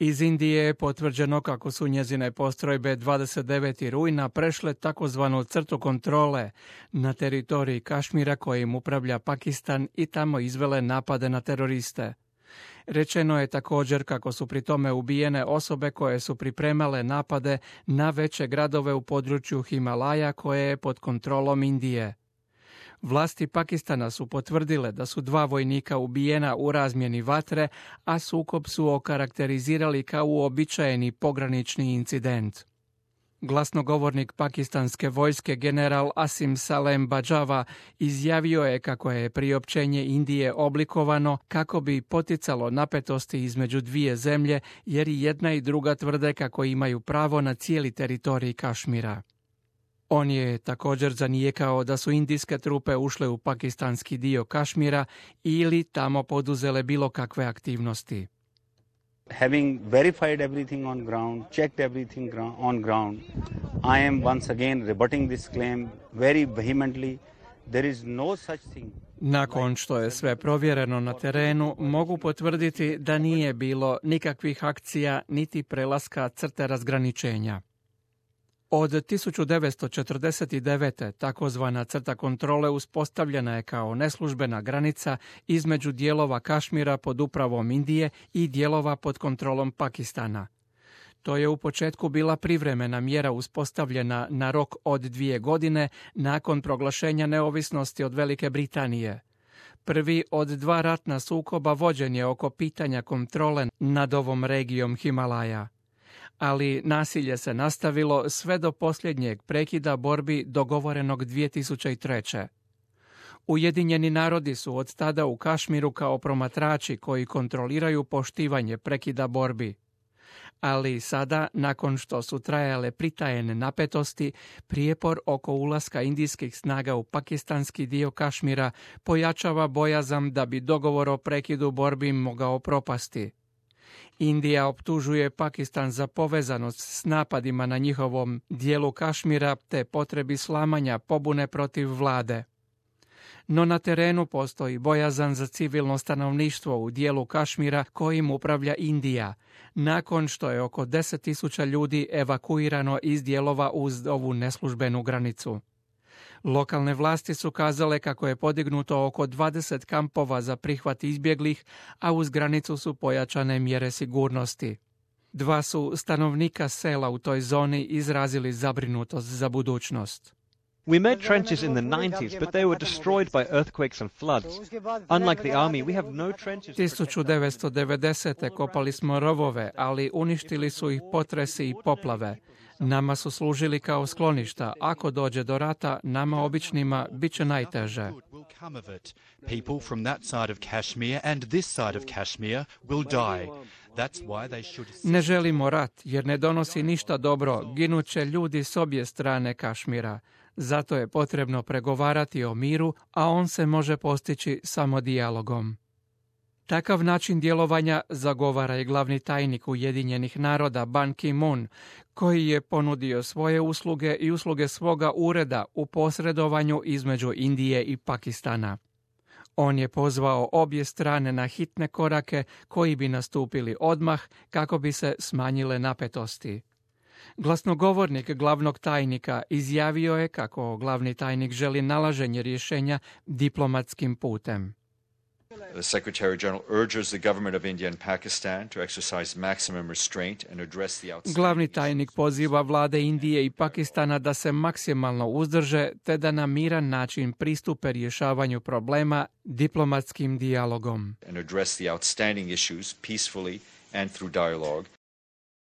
Iz Indije je potvrđeno kako su njezine postrojbe 29. rujna prešle takozvanu crtu kontrole na teritoriji Kašmira kojim upravlja Pakistan i tamo izvele napade na teroriste. Rečeno je također kako su pri tome ubijene osobe koje su pripremale napade na veće gradove u području Himalaja koje je pod kontrolom Indije. Vlasti Pakistana su potvrdile da su 2 vojnika ubijena u razmjeni vatre, a sukob su okarakterizirali kao uobičajeni pogranični incident. Glasnogovornik pakistanske vojske general Asim Salem Bajava izjavio je kako je priopćenje Indije oblikovano kako bi poticalo napetosti između dvije zemlje, jer i jedna i druga tvrde kako imaju pravo na cijeli teritorij Kašmira. On je također zanijekao da su indijske trupe ušle u pakistanski dio Kašmira ili tamo poduzele bilo kakve aktivnosti. Having verified everything on ground, checked everything on ground, I am once again rebutting this claim very vehemently. There is no such thing. Nakon što je sve provjereno na terenu, mogu potvrditi da nije bilo nikakvih akcija niti prelaska crte razgraničenja. Od 1949. takozvana crta kontrole uspostavljena je kao neslužbena granica između dijelova Kašmira pod upravom Indije i dijelova pod kontrolom Pakistana. To je u početku bila privremena mjera uspostavljena na rok od 2 godine nakon proglašenja neovisnosti od Velike Britanije. Prvi od 2 ratna sukoba vođen je oko pitanja kontrole nad ovom regijom Himalaja. Ali nasilje se nastavilo sve do posljednjeg prekida borbi dogovorenog 2003. Ujedinjeni narodi su od tada u Kašmiru kao promatrači koji kontroliraju poštivanje prekida borbi. Ali sada, nakon što su trajale pritajene napetosti, prijepor oko ulaska indijskih snaga u pakistanski dio Kašmira pojačava bojazan da bi dogovor o prekidu borbi mogao propasti. Indija optužuje Pakistan za povezanost s napadima na njihovom dijelu Kašmira te potrebi slamanja pobune protiv vlade. No na terenu postoji bojazan za civilno stanovništvo u dijelu Kašmira kojim upravlja Indija, nakon što je oko 10.000 ljudi evakuirano iz dijelova uz ovu neslužbenu granicu. Lokalne vlasti su kazale kako je podignuto oko 20 kampova za prihvat izbjeglih, a uz granicu su pojačane mjere sigurnosti. 2 su stanovnika sela u toj zoni izrazili zabrinutost za budućnost. We made trenches in the 90s, but they were destroyed by earthquakes and floods. Unlike the army, we have no trenches. 1990. kopali smo rovove, ali uništili su ih potresi i poplave. Nama su služili kao skloništa. Ako dođe do rata, nama običnima bit će najteže. People from that side of Kashmir and this side of Kashmir will die. Ne želimo rat, jer ne donosi ništa dobro. Ginuće ljudi s obje strane Kašmira. Zato je potrebno pregovarati o miru, a on se može postići samo dijalogom. Takav način djelovanja zagovara i glavni tajnik Ujedinjenih naroda Ban Ki-moon, koji je ponudio svoje usluge i usluge svoga ureda u posredovanju između Indije i Pakistana. On je pozvao obje strane na hitne korake koji bi nastupili odmah kako bi se smanjile napetosti. Glasnogovornik glavnog tajnika izjavio je kako glavni tajnik želi nalaženje rješenja diplomatskim putem. The Secretary General urges the government of India and Pakistan to exercise maximum restraint and address the outstanding. Glavni tajnik poziva vlade Indije i Pakistana da se maksimalno uzdrže te da na miran način pristupe rješavanju problema diplomatskim dijalogom. And address the outstanding issues peacefully and through dialogue.